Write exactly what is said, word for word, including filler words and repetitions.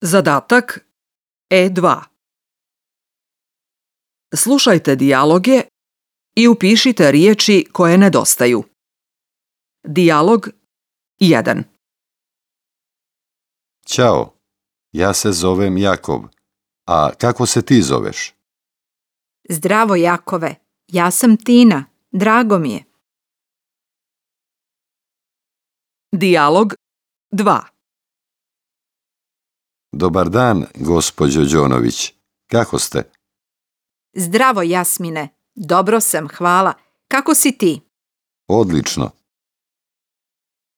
Zadatak E dva. Slušajte dijaloge i upišite riječi koje nedostaju. Dijalog jedan. Ćao, ja se zovem Jakov. A kako se ti zoveš? Zdravo, Jakove. Ja sam Tina. Drago mi je. Dijalog dva. Dobar dan, gospođo Đonović. Kako ste? Zdravo, Jasmine. Dobro sam, hvala. Kako si ti? Odlično.